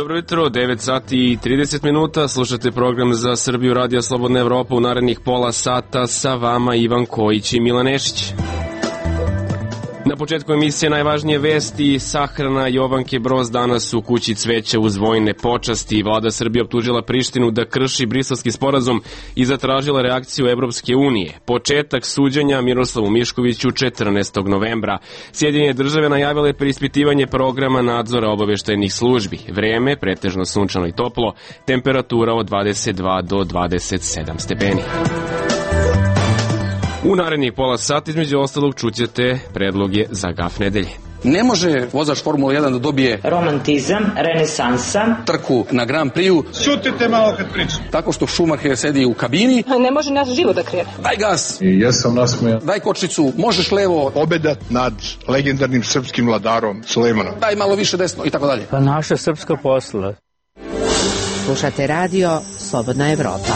Dobro jutro, 9 sati i 30 minuta, slušate program za Srbiju Radio Slobodna Evropa. U narednih pola sata sa vama Ivan Kojić i Milan Nešić. Na početku emisije najvažnije vesti. Sahrana Jovanke Broz danas u kući cveća uz vojne počasti. Vlada Srbije optužila Prištinu da krši Briselski sporazum i zatražila reakciju Evropske unije. Početak suđenja Miroslavu Miškoviću 14. novembra. Sjedinjene države najavile preispitivanje programa nadzora obaveštajnih službi. Vreme pretežno sunčano i toplo, temperatura od 22 do 27 stepeni. U narednih pola sata između ostalog čućete predloge za gaf nedelje. Ne može vozač Formula 1 da dobije romantizam, renesansa, trku na Grand Prix-u. Šutite malo kad pričam. Tako što Schumacher sedi u kabini. Ne može naš život da krene. Daj gas. I jesam nasmejan. Daj kočnicu, možeš levo. Pobeda nad legendarnim srpskim vladarom Sulejmanom. Daj malo više desno i tako dalje. Pa naša srpska posla. Slušate radio Slobodna Evropa.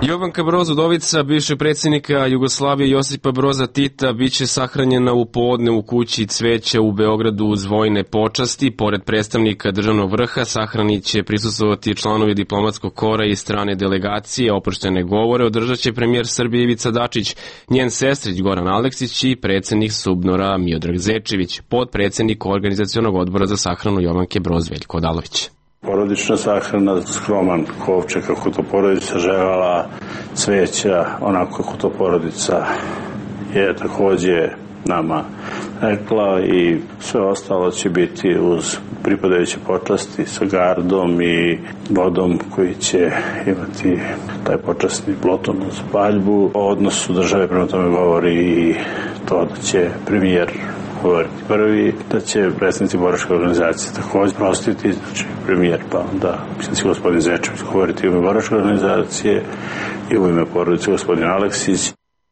Jovanka Broz, udovica bivšeg predsjednika Jugoslavije Josipa Broza Tita, biće sahranjena u podne u kući cveća u Beogradu uz vojne počasti. Pored predstavnika državnog vrha sahrani će prisustvovati članovi diplomatskog kora i strane delegacije. Oproštene govore održat će premijer Srbije Ivica Dačić, njen sestrić Goran Aleksić i predsjednik SUBNOR-a Miodrag Zečević, podpredsjednik organizacionog odbora za sahranu Jovanke Broz Veljko Odalović. Porodična sahrana, skroman kovčeg kako to porodica želela, cveća onako kako to porodica je takođe nama rekla i sve ostalo će biti uz pripadajuće počasti sa gardom i vodom koji će imati taj počasni ploton uz paljbu. O odnosu države prema tome govori i to da će premijer govoriti prvi, da će predstavnici boračke organizacije takođe prostiti, znači premijer, pa onda mislim da će gospodin Zečević govoriti u ime boračke organizacije i u ime porodice gospodin Aleksić.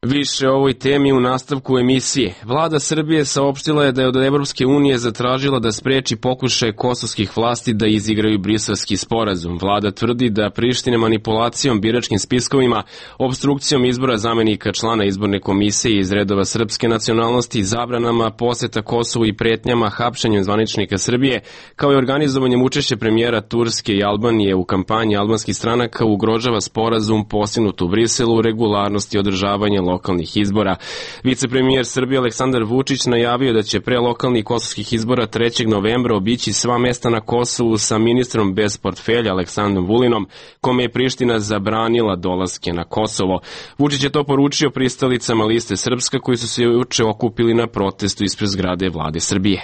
Više o ovoj temi u nastavku emisije. Vlada Srbije saopštila je da je od Evropske unije zatražila da spreči pokušaje kosovskih vlasti da izigraju Briselski sporazum. Vlada tvrdi da Priština manipulacijom biračkim spiskovima, obstrukcijom izbora zamenika člana izborne komisije iz redova srpske nacionalnosti, zabranama poseta Kosovu i pretnjama hapšenjem zvaničnika Srbije, kao i organizovanjem učešća premijera Turske i Albanije u kampanji albanskih stranaka ugrožava sporazum postignut u Briselu, regularnost i održavanje lokalnih izbora. Vicepremijer Srbije Aleksandar Vučić najavio da će pre lokalnih kosovskih izbora 3. novembra obići sva mesta na Kosovu sa ministrom bez portfelja Aleksandrom Vulinom, kome je Priština zabranila dolaske na Kosovo. Vučić je to poručio pristalicama Liste Srpska koji su se juče okupili na protestu ispred zgrade Vlade Srbije.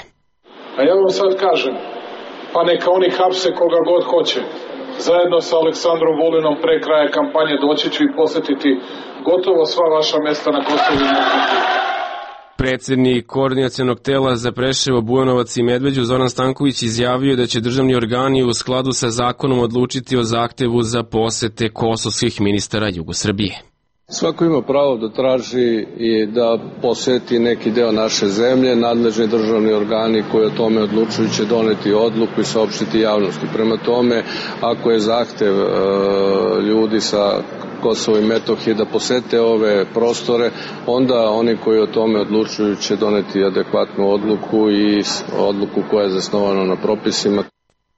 A ja vam sad kažem, pa neka oni hapse koga god hoće. Zajedno sa Aleksandrom Vulinom pre kraja kampanje doći ću i posetiti gotovo sva vaša mesta na Kosovu i Metohiji. Predsjednik koordinacionog tela za Preševo, Bujanovac i Medveđu Zoran Stanković izjavio da će državni organi u skladu sa zakonom odlučiti o zahtevu za posete kosovskih ministara Jugosrbije. Svako ima pravo da traži i da poseti neki deo naše zemlje. Nadležni državni organi koji o tome odlučuju će doneti odluku i saopštiti javnosti. Prema tome, ako je zahtev ljudi sa Kosova i Metohije da posete ove prostore, onda oni koji o tome odlučuju će doneti adekvatnu odluku i odluku koja je zasnovana na propisima.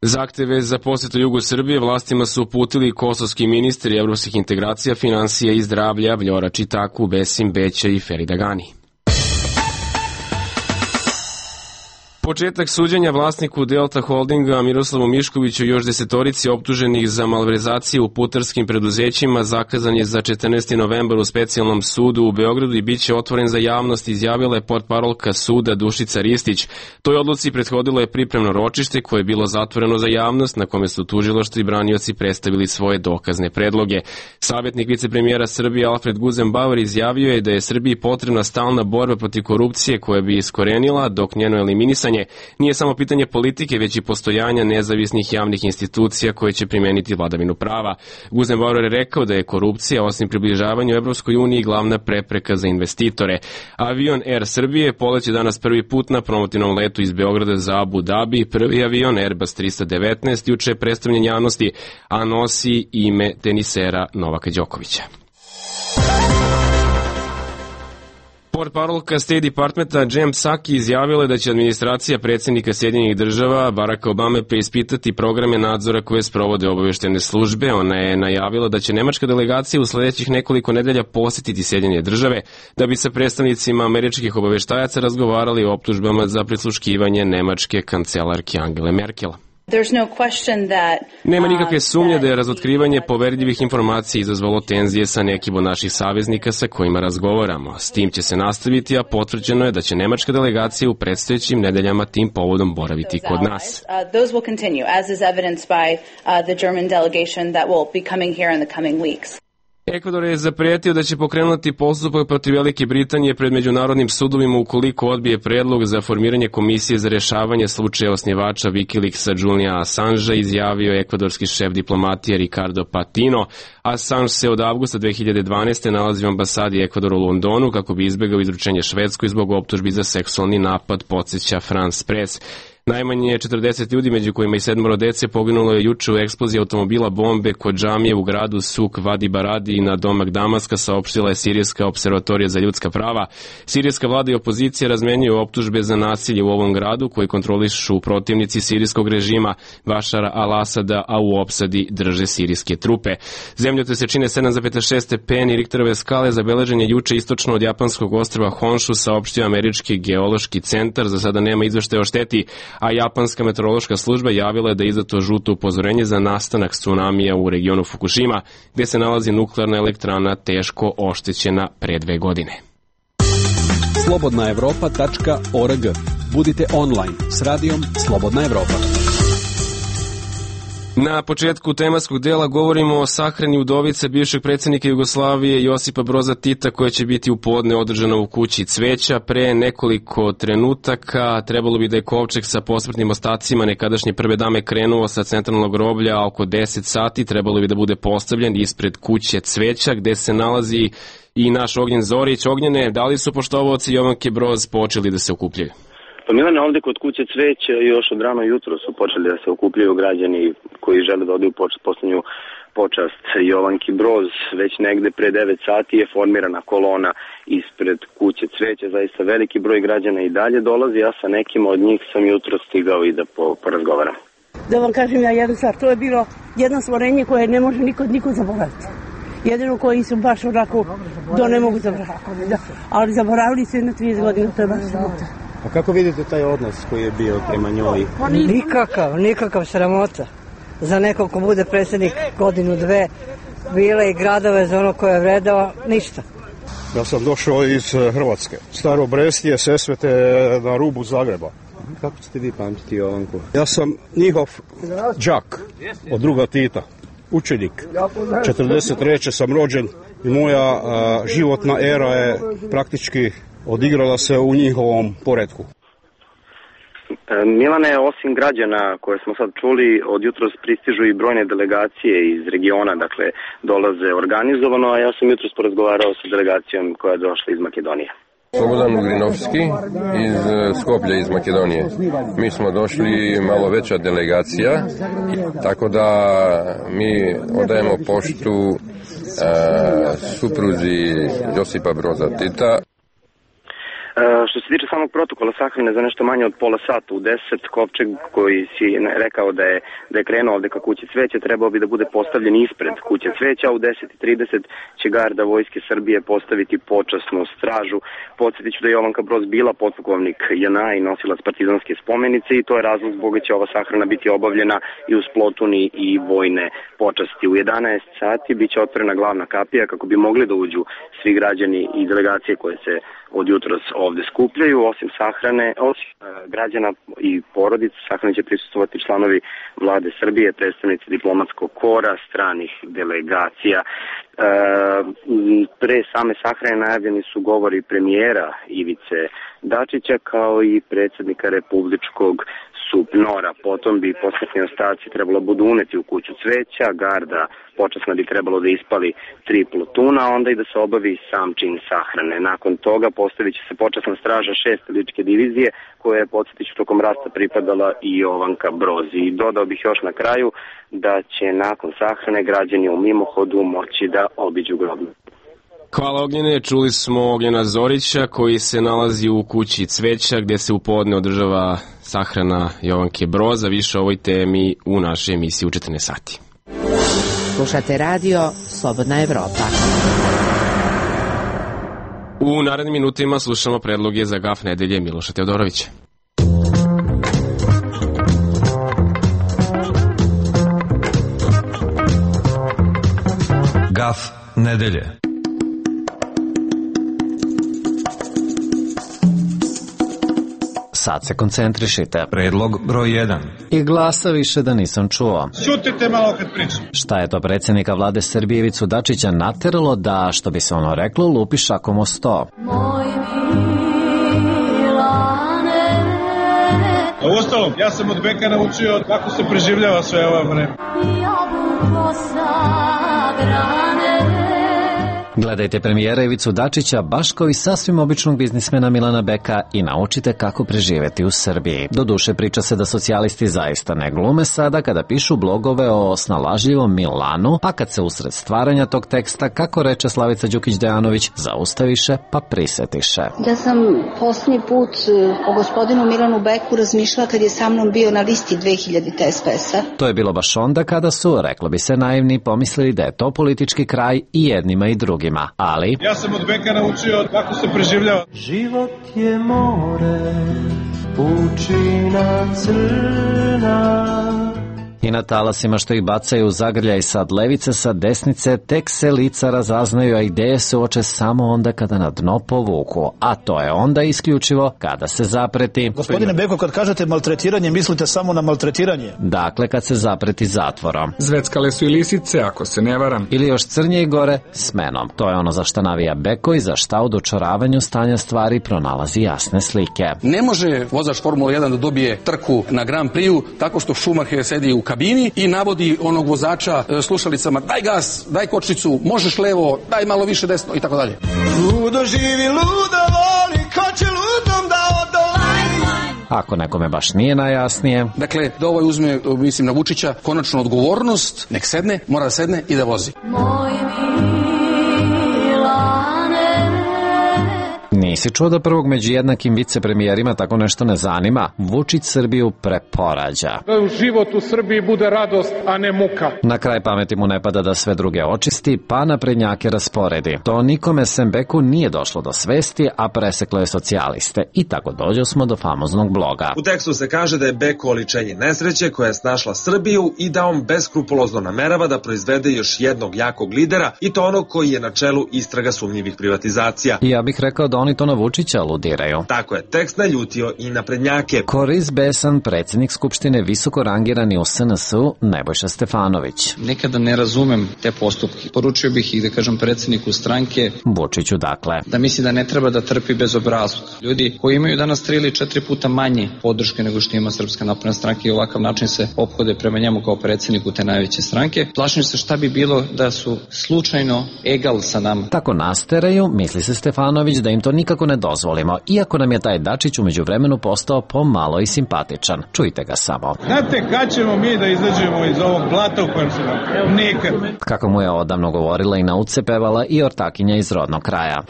Zahteve za posetu Jugu Srbije vlastima su uputili kosovski ministri evropskih integracija, financija i zdravlja Vljora Čitaku, Besim Beća i Ferida Gani. Početak suđenja vlasniku Delta Holdinga Miroslavu Miškoviću i još 10 optuženih za malverzacije u putarskim preduzećima zakazan je za 14. novembar u specijalnom sudu u Beogradu i bit će otvoren za javnost, izjavila je portparolka suda Dušica Ristić. Toj odluci prethodilo je pripremno ročište koje je bilo zatvoreno za javnost, na kome su tužilaštvo i branioci predstavili svoje dokazne predloge. Savjetnik vicepremijera Srbije Alfred Guzenbauer izjavio je da je Srbiji potrebna stalna borba protiv korupcije koja bi iskorenila, dok njeno eliminisanje nije samo pitanje politike, već i postojanja nezavisnih javnih institucija koje će primeniti vladavinu prava. Guzenbauer je rekao da je korupcija, osim približavanju Evropskoj uniji, glavna prepreka za investitore. Avion Air Srbije poleće danas prvi put na promotivnom letu iz Beograda za Abu Dhabi. Prvi avion Airbus 319 juče je predstavljen javnosti, a nosi ime tenisera Novaka Đokovića. Portparolka State Departmenta Jem Psaki izjavila je da će administracija predsjednika Sjedinjenih država Baracka Obame preispitati programe nadzora koje sprovode obaveštene službe. Ona je najavila da će nemačka delegacija u sledećih nekoliko nedelja posjetiti Sjedinjene države da bi sa predstavnicima američkih obaveštajaca razgovarali o optužbama za prisluškivanje nemačke kancelarke Angele Merkel. Nema nikakve sumnje da je razotkrivanje poverljivih informacija izazvalo tenzije sa nekim od naših saveznika sa kojima razgovaramo. S tim će se nastaviti, a potvrđeno je da će nemačka delegacija u predstojećim nedeljama tim povodom boraviti kod nas. Ekvador je zapretio da će pokrenuti postupak protiv Velike Britanije pred međunarodnim sudovima ukoliko odbije predlog za formiranje komisije za rešavanje slučaja osnivača Wikileaksa Juliana Assangea, izjavio je ekvadorski šef diplomatije Ricardo Patino. Assange se od avgusta 2012. nalazi u ambasadi Ekvadora u Londonu kako bi izbegao izručenje Švedskoj zbog optužbi za seksualni napad, podsjeća France Press. Najmanje 40 ljudi, među kojima i 7 dece, poginulo je juče u eksploziji automobila bombe kod džamije u gradu Suk Vadi Baradi na domak Damaska, saopštila je Sirijska observatorija za ljudska prava. Sirijska vlada i opozicija razmenjuju optužbe za nasilje u ovom gradu koji kontrolišu protivnici sirijskog režima Bašara al-Asada, a u opsadi drže sirijske trupe. Zemljotres se čine 7,6 stepeni Richterove skale, zabeležen je juče istočno od japanskog ostrva Honshu, saopštio američki geološki centar. Za sada nema izveštaja o šteti, a japanska meteorološka služba javila je da je izdato žuto upozorenje za nastanak tsunamija u regionu Fukushima, gde se nalazi nuklearna elektrana teško oštećena pre 2 godine. Slobodnaevropa.org. Budite online s radijom Slobodna Evropa. Na početku tematskog dela govorimo o sahrani udovice bivšeg predsjednika Jugoslavije Josipa Broza Tita, koja će biti u podne održana u kući Cveća. Pre nekoliko trenutaka trebalo bi da je kovčeg sa posmrtnim ostacima nekadašnje prve dame krenuo sa centralnog groblja, a oko 10 sati trebalo bi da bude postavljen ispred kuće Cveća, gde se nalazi i naš Ognjen Zorić. Ognjene, da li su poštovaoci Jovanke Broz počeli da se okupljaju? Pa Milane, ovde kod kuće Cveća još od rano jutro su počeli da se okupljaju građani koji žele da odaju poslednju počast Jovanki Broz. Već negde pre 9 sati je formirana kolona ispred kuće Cveća. Zaista veliki broj građana i dalje dolazi. Ja sa nekim od njih sam jutro stigao i da porazgovaram. Da vam kažem ja jednu stvar, to je bilo jedno stvorenje koje ne može niko zaboraviti. Jedino koji su baš onako, to ne mogu zaboraviti. Da. Ali zaboravili se na 30 godina, to je baš sramota. A kako vidite taj odnos koji je bio prema njoj? Nikakav sramota. Za nekog ko bude predsjednik godinu, dve, bile i gradove za ono koje je vredao, ništa. Ja sam došao iz Hrvatske. Staro Brestije, Sesvete na rubu Zagreba. Kako ćete vi pamtiti Jovanku? Ja sam njihov đak od druga Tita, učenik. 43. sam rođen i moja životna era je praktički odigrala se u njihovom poretku. Milane, osim građana koje smo sad čuli, od jutros pristižu i brojne delegacije iz regiona, dakle dolaze organizovano, a ja sam jutros porazgovarao sa delegacijom koja je došla iz Makedonije. Slobodan Ugrinovski iz Skoplja iz Makedonije. Mi smo došli malo veća delegacija, tako da mi odajemo poštu supruzi Josipa Broza Tita. Što se tiče samog protokola sahrane, za nešto manje od pola sata u 10, kovčeg koji si rekao da je krenuo ovde ka kući Cveća trebao bi da bude postavljen ispred kuće Cveća, a u 10:30 će garda Vojske Srbije postaviti počasnu stražu. Podsjetit ću da je Jovanka Broz bila potpukovnik JNA i nosilac partizanske spomenice i to je razlog zbog će ova sahrana biti obavljena i uz plotuni i vojne počasti. U 11 sati biće otvorena glavna kapija kako bi mogli da uđu svi građani i delegacije koje se od jutros ovde skupljaju. Osim sahrane, osim građana i porodica, sahrane će prisustvovati članovi vlade Srbije, predstavnici diplomatskog kora, stranih delegacija. Pre same sahrane najavljeni su govori premijera Ivice Dačića kao i predsjednika Republičkog SUPNOR-a. Potom bi posmrtni ostaci trebalo budu uneti u kuću Cveća, garda počasna bi trebalo da ispali 3 plotuna, a onda i da se obavi sam čin sahrane. Nakon toga postavit će se počasna straža 6. ličke divizije, koja je, podsjetiću, tokom rata pripadala i Jovanka Broz. I dodao bih još na kraju da će nakon sahrane građani u mimohodu moći da obiđu groblje. Hvala Ognjene, čuli smo Ognjena Zorića koji se nalazi u kući Cveća gdje se u podne održava sahrana Jovanke Broza. Više o ovoj temi u našoj emisiji u 14 sati. Slušate radio Slobodna Evropa. U narednim minutima slušamo predloge za gaf nedelje Miloša Teodorovića. Gaf nedelje. Sad se koncentrišite. Predlog broj 1. I glasa više da nisam čuo. Šutite malo kad pričam. Šta je to predsjednika vlade Srbije Ivicu Dačića nateralo da, što bi se ono reklo, lupi šakom o sto? A uostalom, ja sam od Beka naučio kako se preživljava sve ovo vreme. Gledajte premijera Ivicu Dačića baš kao i sasvim običnog biznismena Milana Beka i naučite kako preživeti u Srbiji. Doduše priča se da socijalisti zaista ne glume sada kada pišu blogove o snalažljivom Milanu, pa kad se usred stvaranja tog teksta, kako reče Slavica Đukić-Dejanović, zaustaviše pa prisetiše. Ja sam posljednji put o gospodinu Milanu Beku razmišljala kad je sa mnom bio na listi 2000 SPS-a. To je bilo baš onda kada su, reklo bi se naivni, pomislili da je to politički kraj i jednima i drugima. Ali ja sam od Beka naučio kako se preživljava. Život je more, pučina crna. I na talasima što ih bacaju u zagrljaj sad levice, sad desnice, tek se lica razaznaju, a ideje se uoče samo onda kada na dno povuku. A to je onda isključivo kada se zapreti. Gospodine Beko, kad kažete maltretiranje, mislite samo na maltretiranje? Dakle, kad se zapreti zatvorom. Zveckale su i lisice, ako se ne varam. Ili još crnje i gore, smenom. To je ono za šta navija Beko i za šta u dočaravanju stanja stvari pronalazi jasne slike. Ne može vozač Formula 1 da dobije trku na Grand Prix tako što Schumacher sedi u kabini i navodi onog vozača slušalicama: daj gas, daj kočnicu, možeš levo, daj malo više desno i tako dalje. Ludo živi, ludo voli, ko će ludom da odolaj. Ako nekome baš nije najjasnije. Dakle, da ovaj uzme, mislim, na Vučića konačno odgovornost, nek sedne, mora da sedne i da vozi. Nisi čuo da prvog među jednakim vicepremijerima tako nešto ne zanima? Vučić Srbiju preporađa. Da život u Srbiji bude radost, a ne muka. Na kraj pameti mu ne pada da sve druge očisti, pa naprednjake rasporedi. To nikome sem Beku nije došlo do svesti, a preseklo je socijaliste. I tako dođo smo do famoznog bloga. U tekstu se kaže da je Beko oličenje nesreće koja je snašla Srbiju i da on beskrupulozno namerava da proizvede još jednog jakog lidera, i to onog koji je na čelu istraga sumnjivih privatizacija. I ja bih rekao da oni to na Vučića aludiraju. Tako je, tekst naljutio i naprednjake. Koriz besan, predsjednik Skupštine visoko rangirani u SNS-u Nebojša Stefanović. Nekada ne razumem te postupke. Poručio bih ih, da kažem, predsjedniku stranke Vučiću, dakle, da misli da ne treba da trpi bezobrazluk. Ljudi koji imaju danas 3 ili 4 puta manje podrške nego što ima Srpska napredna stranka i ovakav način se ophode prema njemu kao predsjedniku te najveće stranke. Plašim se šta bi bilo da su slučajno egal sa nama. Tako nasteraju, misli se Stefanović, da im to nikako ne dozvolimo, iako nam je taj Dačić u međuvremenu postao pomalo i simpatičan. Čujte ga samo. Znate kad ćemo mi da izađemo iz ovog blata u kojem se nam? Nikad. Kako mu je odavno govorila i na uce pevala i ortakinja iz rodnog kraja.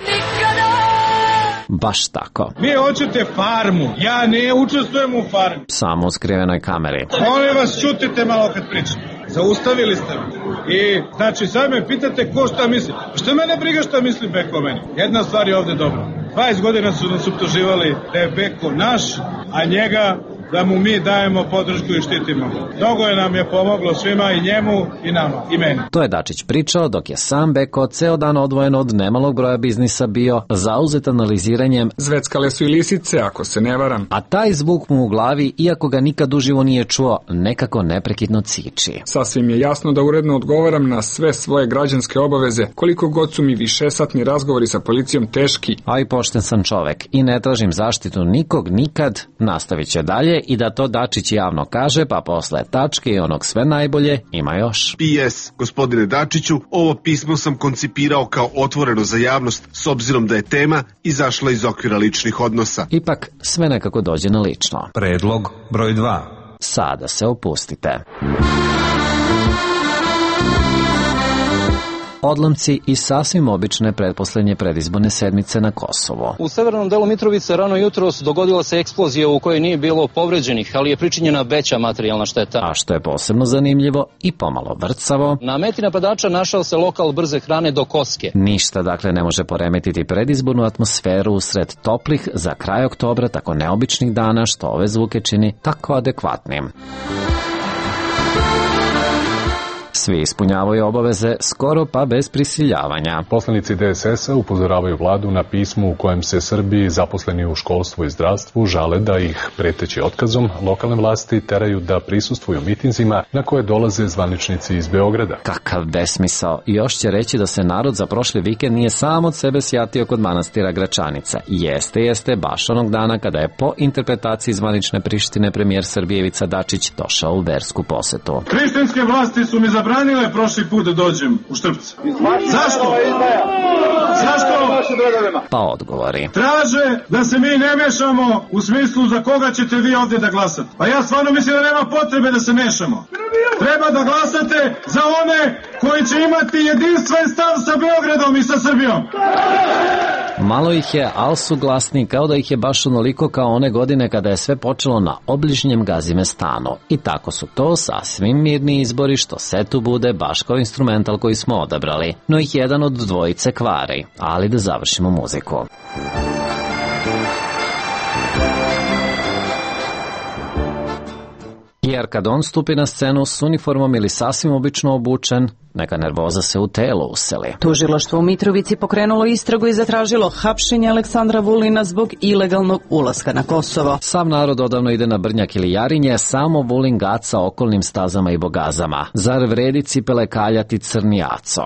Baš tako. Vi hoćete farmu, ja ne učestvujem u farmi. Samo u skrivenoj kameri. Molim vas, čutite malo kad pričam. Zaustavili ste me. I, znači, sad me pitate ko šta misli. Što mene briga šta misli Beko o meni? Jedna stvar je ovde dobra. 20 godina su nas optuživali da je Beko naš, a njega da mu mi dajemo podršku i štitimo. Mnogo je nam je pomoglo svima, i njemu i nama, i meni. To je Dačić pričao dok je sam Beko ceo dan odvojen od nemalog broja biznisa bio zauzet analiziranjem Zveckale su i lisice, ako se ne varam. A taj zvuk mu u glavi, iako ga nikad uživo nije čuo, nekako neprekidno ciči. Sasvim je jasno da uredno odgovaram na sve svoje građanske obaveze, koliko god su mi višesatni razgovori sa policijom teški. A i pošten sam čovek i ne tražim zaštitu nikog nikad, nastavit će dalje i da to Dačić javno kaže, pa posle tačke i onog sve najbolje ima još. PS, gospodine Dačiću, ovo pismo sam koncipirao kao otvoreno za javnost s obzirom da je tema izašla iz okvira ličnih odnosa. Ipak sve nekako dođe na lično. Predlog broj 2. Sada se opustite. odlomci i sasvim obične pretposlednje predizborne sedmice na Kosovo. U severnom delu Mitrovice rano jutros dogodila se eksplozija u kojoj nije bilo povređenih, ali je pričinjena veća materijalna šteta. A što je posebno zanimljivo i pomalo vrcavo, na meti napadača našao se lokal brze hrane do Koske. Ništa dakle ne može poremetiti predizbornu atmosferu usred toplih za kraj oktobra tako neobičnih dana, što ove zvuke čini tako adekvatnim. Svi ispunjavaju obaveze skoro pa bez prisiljavanja. Poslanici DSS-a upozoravaju vladu na pismu u kojem se Srbi zaposleni u školstvu i zdravstvu žale da ih, preteći otkazom, lokalne vlasti teraju da prisustvuju mitinzima na koje dolaze zvaničnici iz Beograda. Kakav besmisao. Još će reći da se narod za prošli vikend nije sam od sebe sjatio kod manastira Gračanica. Jeste, baš onog dana kada je po interpretaciji zvanične Prištine premijer Srbije Ivica Dačić došao u versku posetu. Hrišćanske vlasti su mi zabranile prošli put da dođem u Štrpce. Zašto? Pa odgovori. Traže da se mi ne mešamo u smislu za koga ćete vi ovdje da glasate. Pa ja stvarno mislim da nema potrebe da se mešamo. Treba da glasate za one koji će imati jedinstven stav sa Beogradom i sa Srbijom. Malo ih je, ali su glasni, kao da ih je baš onoliko kao one godine kada je sve počelo na obližnjem Gazimestanu. I tako su to sasvim mirni izbori, što se tu bude baš kao instrumental koji smo odabrali. No ih jedan od dvojice kvari. Ali da završimo muziku. Jer kad on stupi na scenu s uniformom ili sasvim obično obučen, neka nervoza se u telo useli. Tužilaštvo u Mitrovici pokrenulo istragu i zatražilo hapšenje Aleksandra Vulina zbog ilegalnog ulaska na Kosovo. Sav narod odavno ide na Brnjak ili Jarinje, samo Vulin gaca okolnim stazama i bogazama. Zar vredi cipele kaljati crni aco?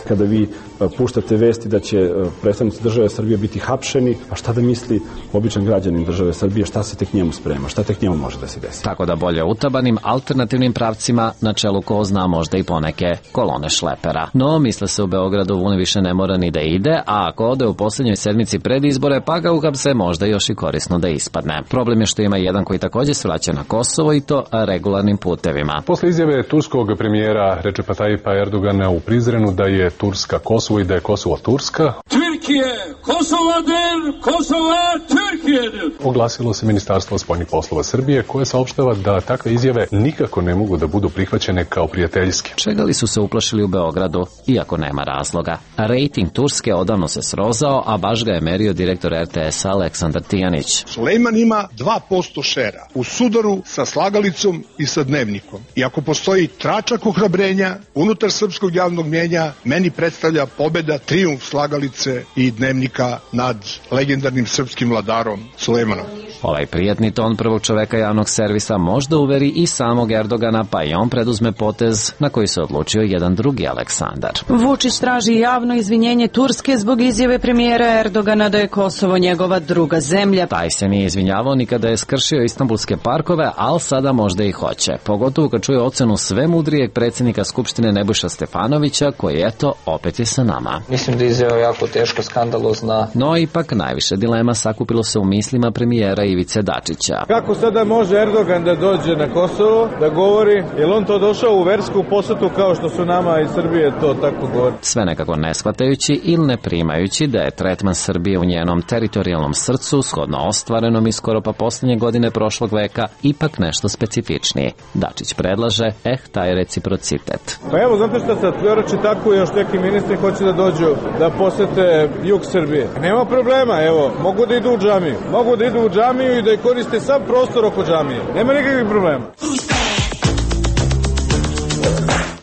Kada vi puštate vesti da će predstavnici države Srbije biti hapšeni, a šta da misli običan građanin države Srbije, šta se tek njemu sprema, šta tek njemu može da se desi. Tako da bolje utabanim alternativnim pravcima, na čelu ko zna možda i poneke kolone šlepera. No, misle se u Beogradu Vulin više ne mora ni da ide, a ako ode u posljednjoj sedmici pred izbore, pa ga uhapse možda još i korisno da ispadne. Problem je što ima jedan koji također se vraća na Kosovo i to regularnim putevima. Posle izjave turskog premijera Recepa Tayyipa Erdogana u Prizrenu da je Turska Kosovo i da je Kosovo Turska, Türkiye, Kosova'dır, Kosova Türkiye'dir. Oglasilo se Ministarstvo spoljnih poslova Srbije, koje saopštava da takve izjave nikako ne mogu da budu prihvaćene kao prijateljske. Čega li su se uplašili u Beogradu, iako nema razloga? Rating Turske odavno se srozao, a baš ga je merio direktor RTS-a Aleksandar Tijanić. Sulejman ima 2% šera u sudaru sa slagalicom i sa dnevnikom. I ako postoji tračak ohrabrenja unutar srpskog javnog mnjenja, meni predstavlja pobeda, trijumf slagalice i dnevnika nad legendarnim srpskim vladarom Sulejmanom. Ovaj prijatni ton prvog čoveka javnog servisa možda uveri i samog Erdogana, pa i on preduzme potez na koji se odlučio jedan drugi Aleksandar. Vučić traži javno izvinjenje Turske zbog izjave premijera Erdogana da je Kosovo njegova druga zemlja. Taj se nije izvinjavao ni kada je skršio istanbulske parkove, ali sada možda i hoće. Pogotovo kad čuje ocenu sve mudrijeg predsjednika Skupštine Nebojša Stefanovića, koji eto opet je sa nama. Mislim da je izjava jako teško, skandalozna. No ipak najviše dilema sakupilo se u mislima premijera Ivice Dačića. Kako sada može Erdogan da dođe na Kosovo, da govori, je li on to došao u versku posetu kao što su nama iz Srbije to tako govori? Sve nekako ne shvatajući ili ne primajući da je tretman Srbije u njenom teritorijalnom srcu, shodno ostvarenom i skoro pa posljednje godine prošlog veka, ipak nešto specifičniji. Dačić predlaže, taj reciprocitet. Pa evo, znate šta sad, Kljorači tako i još neki ministri hoće da dođu da posete jug Srbije. Nema problema, evo, mogu da idu u džamiju. Mogu da idu u džamiju i da koriste sam prostor oko džamije. Nema nikakvih problema.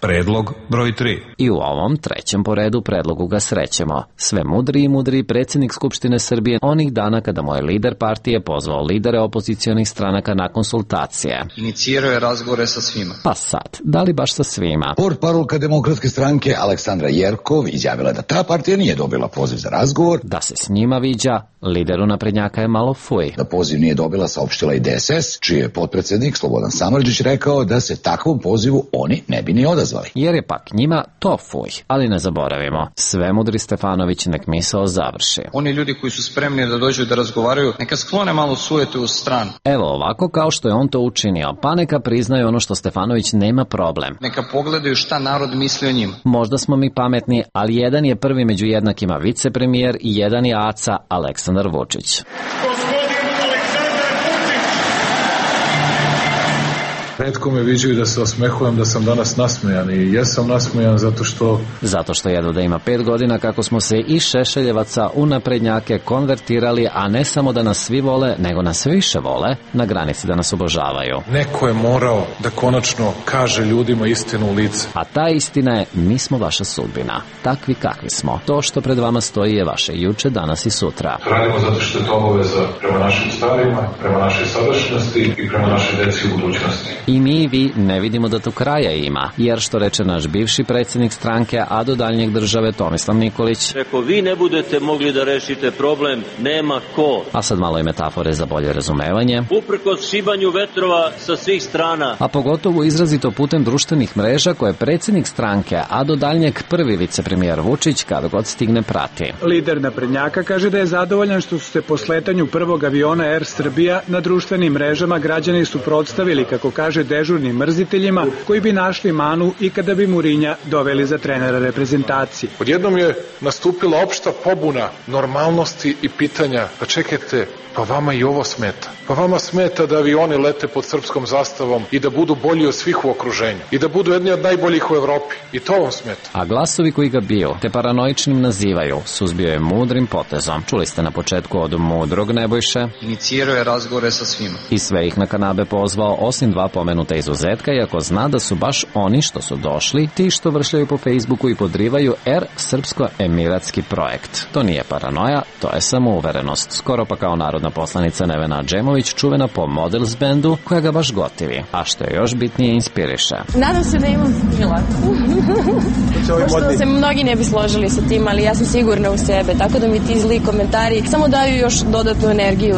Predlog broj 3. I u ovom trećem po redu predlogu ga srećemo. Sve mudri i mudri predsjednik Skupštine Srbije onih dana kada mu je lider partije pozvao lidere opozicionih stranaka na konsultacije. Inicirao je razgovore sa svima. Pa sad, da li baš sa svima? Portparolka Demokratske stranke Aleksandra Jerkov izjavila da ta partija nije dobila poziv za razgovor. Da se s njima viđa, lideru naprednjaka je malo fuj. Da poziv nije dobila, saopštila i DSS, čiji je potpredsjednik Slobodan Samardžić rekao da se takvom pozivu oni ne bi ni odazvali. izazvali. Jer je pak njima to fuj. Ali ne zaboravimo, svemudri Stefanović nek misao završi. Oni ljudi koji su spremni da dođu da razgovaraju, neka sklone malo sujete u stranu. Evo ovako kao što je on to učinio, pa neka priznaju ono što Stefanović nema problem. Neka pogledaju šta narod misli o njima. Možda smo mi pametni, ali jedan je prvi među jednakima vicepremijer i jedan je Aca Aleksandar Vučić. Retko me viđaju da se osmehujem da sam danas nasmejan i jesam nasmejan zato što neko je morao da konačno kaže ljudima istinu u lice. A ta istina je, mi smo vaša sudbina. Takvi kakvi smo. To što pred vama stoji je vaše juče, danas i sutra. Radimo zato što je to obaveza prema našim starima, prema našoj sadašnjosti i prema našoj deci u budućnosti. I mi i vi ne vidimo da tu kraja ima, jer što reče naš bivši predsjednik stranke, a do daljnjeg države Tomislav Nikolić. Ako vi ne budete mogli da rešite problem, nema ko. A sad malo i metafore za bolje razumevanje. Uprkos šibanju vetrova sa svih strana. A pogotovo izrazito putem društvenih mreža koje predsjednik stranke, a do daljnjeg prvi vicepremijer Vučić kada god stigne prati. Lider naprednjaka kaže da je zadovoljan što su se po sletanju prvog aviona Air Srbija na društvenim mrežama građani suprotstavili, kako kaže, dežurnim mrziteljima koji bi našli manu i kada bi Murinja doveli za trenera reprezentacije. Odjednom je nastupila opšta pobuna normalnosti i pitanja, pa čekajte, pa vama i ovo smeta. Pa vama smeta da avioni lete pod srpskom zastavom i da budu bolji od svih u okruženju i da budu jedni od najboljih u Evropi. I to vam smeta. A glasovi koji ga biju, te paranoičnim nazivaju, suzbio je mudrim potezom. Čuli ste na početku od mudrog Nebojše. Inicirao je razgovore sa svima. I sve ih na kanabe pozvao, osim 2 pomenuta izuzetka, iako zna da su baš oni što su došli, ti što vršljaju po Facebooku i podrivaju srpsko-emiratski projekt. To nije paranoja, to je samouverenost. Skoro pa kao narodna poslanica Nevena Adžemović, čuvena po Models bandu, koja ga baš gotivi. A što je još bitnije, inspiriše. Nadam se da imam stila. Možda se mnogi ne bi složili sa tim, ali ja sam sigurna u sebe, tako da mi ti zli komentari samo daju još dodatnu energiju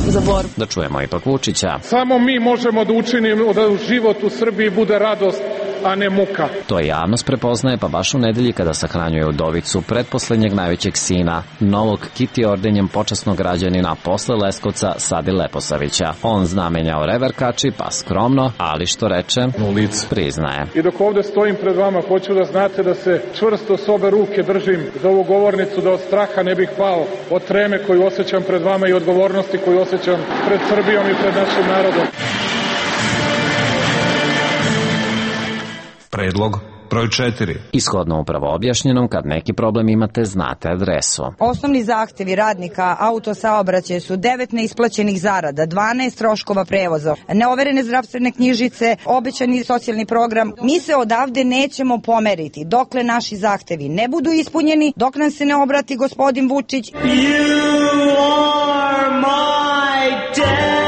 za borbu. Da čujemo ipak Vučića. Samo mi možemo da učinimo da život u Srbiji bude radost, a ne muka. To javnost prepoznaje, pa baš u nedelji kada sahranjuje udovicu pretposlednjeg najvećeg sina, novog Kiti ordenjem počasnog građanina posle Leskovca Sadi Leposavića. On znamenjao reverkači, pa skromno, ali što reče, u lice priznaje. I dok ovde stojim pred vama, hoću da znate da se čvrsto s obe ruke držim za ovu govornicu, da od straha ne bih pao, od treme koju osjećam pred vama i odgovornosti koju osjećam pred Srbijom i pred našim narodom. Predlog broj 4. Ishodno upravo objašnjenom, kad neki problem imate, znate adresu. Osnovni zahtevi radnika autosaobraćaja su 9 neisplaćenih zarada, 12 troškova prevoza, neoverene zdravstvene knjižice, obećani socijalni program. Mi se odavde nećemo pomeriti dokle naši zahtevi ne budu ispunjeni, dok nam se ne obrati gospodin Vučić. You are my destiny.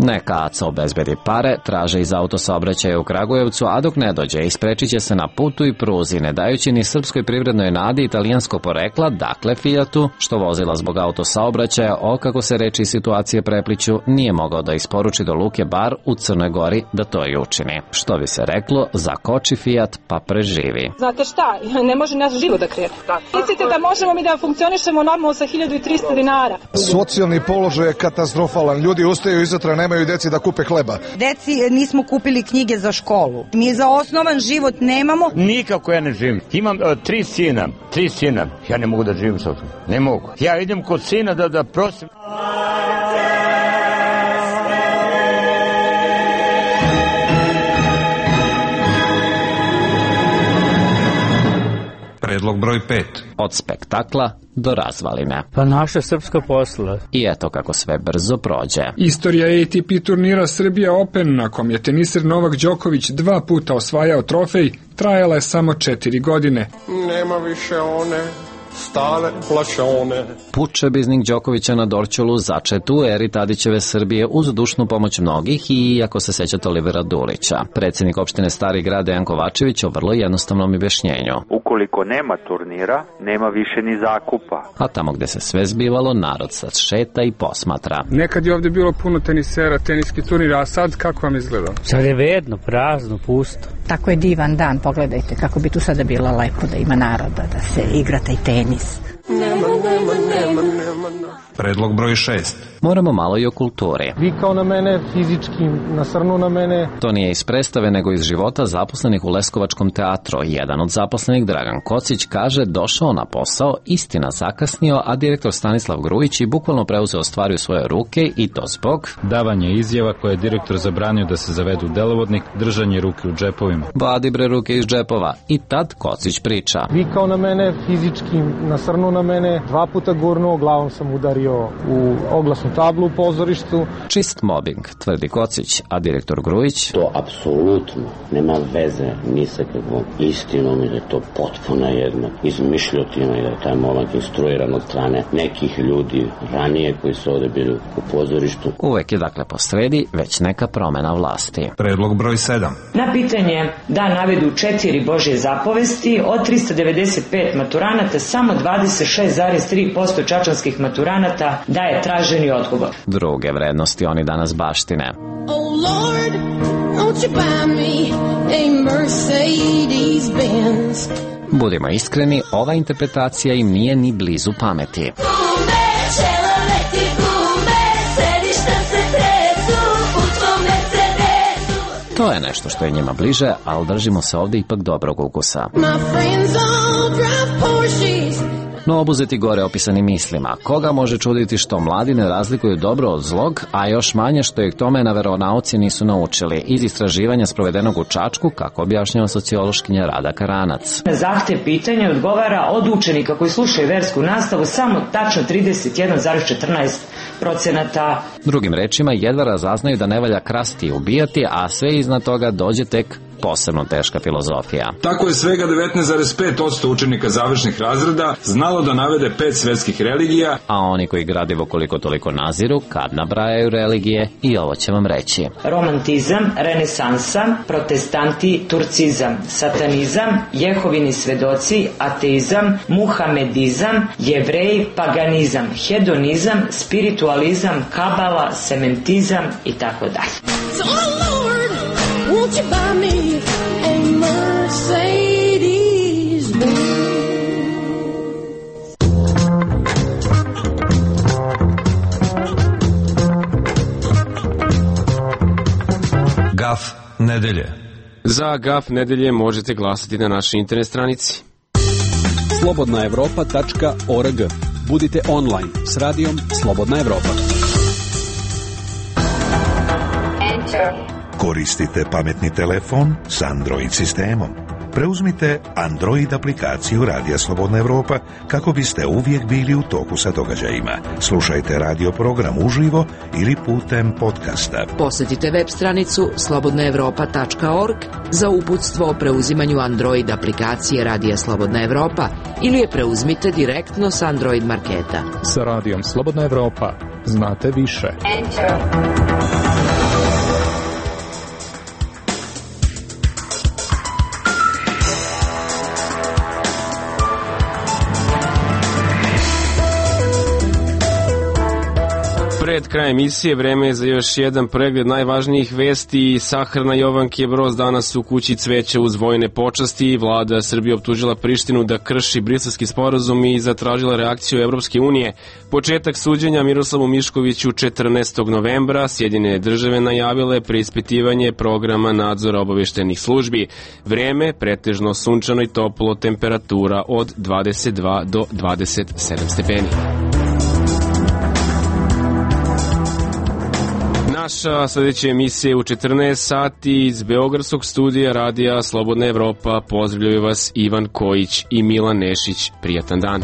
Neka Aca obezbedi pare, traže iz autosaobraćaja u Kragujevcu, a dok ne dođe, isprečit će se na putu i pruzi, ne dajući ni srpskoj privrednoj nadi italijansko porekla, dakle Fiatu, što vozila zbog autosaobraćaja, kako se reči situacije prepliću, nije mogao da isporuči do Luke Bar u Crnoj Gori da to i učini. Što bi se reklo, zakoči Fiat pa preživi. Znate šta, ne može nas život da krene. Mislite da možemo mi da funkcionišemo normalno sa 1300 dinara? Socijalni položaj je katastrofalan, ljudi ustaju izutra, nemaju deci da kupe hleba. Deci nismo kupili knjige za školu. Mi za osnovan život nemamo. Nikako ja ne živim. Imam 3 sina. Ja ne mogu da živim sa tom. Ne mogu. Ja idem kod sina da prosim. Predlog broj 5. Od spektakla do razvaline. Pa naša srpska posla. I eto kako sve brzo prođe. Istorija ATP turnira Srbija Open, na kom je teniser Novak Đoković 2 puta osvajao trofej, trajala je samo 4 godine. Nema više one stare plašone. Puče biznik Đokovića na Dorćolu začet u eri Tadićeve Srbije uz dušnu pomoć mnogih i, ako se sećate, Olivera Dulića. Predsjednik opštine Stari Grad Dejan Kovačević o vrlo jednostavnom objašnjenju. Ukoliko nema turnira, nema više ni zakupa. A tamo gde se sve zbivalo, narod sad šeta i posmatra. Nekad je ovdje bilo puno tenisera, teniski turnir, a sad kako vam izgleda? Sad je vedno, prazno, pusto. Tako je divan dan, pogledajte kako bi tu sada bilo lepo da ima naroda, da se igra taj tenis. Predlog broj 6. Moramo malo i o kulturi. Vikao na mene, fizički nasrnuo na mene. To nije iz predstave, nego iz života zaposlenih u Leskovačkom teatru. Jedan od zaposlenih, Dragan Kocić, kaže došao na posao, istina zakasnio, a direktor Stanislav Grujić i bukvalno preuzeo stvari u svoje ruke i to zbog davanje izjava koje je direktor zabranio da se zavedu u delovodnik, držanje ruke u džepovima. Vadi bre ruke iz džepova. I tad Kocić priča. Vikao na mene, fizički nasrnuo na mene, 2 puta gurnuo, glavom sam udario u oglasnu tablu u pozorištu. Čist mobbing, tvrdi Kocić, a direktor Grujić? To apsolutno nema veze ni sa kakvom istinom i da je to potpuna jedna izmišljotina i da je taj momak instruiran od strane nekih ljudi ranije koji su ovde bili u pozorištu. Uvek je dakle posredi već neka promena vlasti. Predlog broj 7. Na pitanje da navedu 4 Božje zapovesti, od 395 maturanata samo 26,3% čačanskih maturanata daje traženi odgovor. Druge vrednosti oni danas baštine. Oh Lord, won't you buy me a Mercedes Benz? Budimo iskreni, ova interpretacija im nije ni blizu pameti. To je nešto što je njima bliže, ali držimo se ovdje ipak dobrog ukusa. No obuzeti gore opisanim mislima, koga može čuditi što mladi ne razlikuju dobro od zlog, a još manje što ih tome na veronauci nisu naučili, iz istraživanja sprovedenog u Čačku, kako objašnjava sociološkinja Rada Karanac. Na zahtev pitanja odgovara od učenika koji slušaju versku nastavu samo tačno 31,14%. Drugim rečima, jedva razaznaju da ne valja krasti i ubijati, a sve iznad toga dođe tek posebno teška filozofija. Tako je svega 19,5% učenika završnih razreda znalo da navede 5 svetskih religija, a oni koji gradivo koliko toliko naziru, kad nabrajaju religije, i ovo će vam reći. Romantizam, renesansa, protestanti, turcizam, satanizam, Jehovini svedoci, ateizam, muhamedizam, jevreji, paganizam, hedonizam, spiritualizam, kabala, sementizam i tako dalje. Won't you buy me a Mercedes Benz? Gaf nedelje. Za Gaf nedelje možete glasati na našoj internet stranici. slobodnaevropa.org. Budite online s radijom Slobodna Evropa. Koristite pametni telefon s Android sistemom. Preuzmite Android aplikaciju Radija Slobodna Evropa kako biste uvijek bili u toku sa događajima. Slušajte radio program uživo ili putem podcasta. Posjetite web stranicu slobodnaevropa.org za uputstvo o preuzimanju Android aplikacije Radija Slobodna Evropa ili je preuzmite direktno s Android marketa. Sa Radijom Slobodna Evropa znate više. Pred krajem emisije vreme je za još jedan pregled najvažnijih vesti. Sahrana Jovanke Broz danas u kući cveća uz vojne počasti. Vlada Srbije optužila Prištinu da krši Briselski sporazum i zatražila reakciju Evropske unije. Početak suđenja Miroslavu Miškoviću 14. novembra. Sjedinjene države najavile preispitivanje programa nadzora obavještajnih službi. Vreme pretežno sunčano i toplo, temperatura od 22 do 27 stepeni. Naša sljedeća emisija u 14 sati iz Beogradskog studija Radija Slobodna Evropa. Pozdravljaju vas Ivan Kojić i Milan Nešić. Prijatan dan.